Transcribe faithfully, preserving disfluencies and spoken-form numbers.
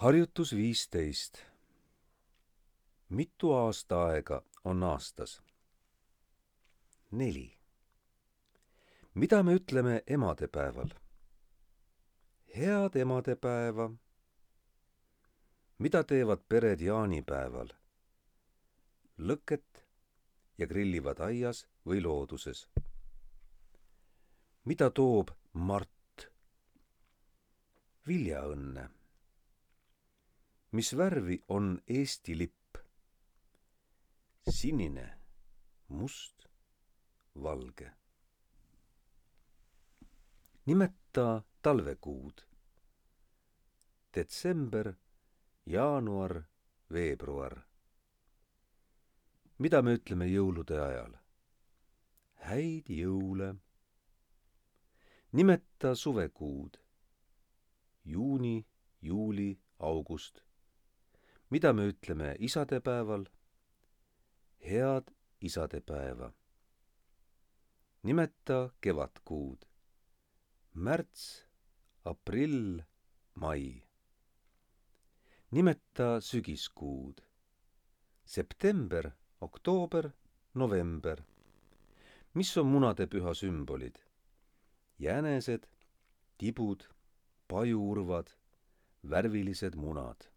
Harjutus viisteist. Mitu aastaaega on aastas? Neli. Mida me ütleme emadepäeval? Head emadepäeva. Mida teevad pered jaanipäeval? Lõket ja grillivad aias või looduses. Mida toob Mart? Viljaõnne. Mis värvi on Eesti lipp? Sinine, must, valge. Nimeta talvekuud. Detsember, jaanuar, veebruar. Mida me ütleme jõulude ajal? Häid jõule. Nimeta suvekuud. Juuni, juuli, august. Mida me ütleme isadepäeval? Head isadepäeva. Nimeta kevadkuud. Märts, aprill, mai. Nimeta sügiskuud. September, oktoober, november. Mis on munadepüha sümbolid? Jänesed, tibud, pajuurvad, värvilised munad.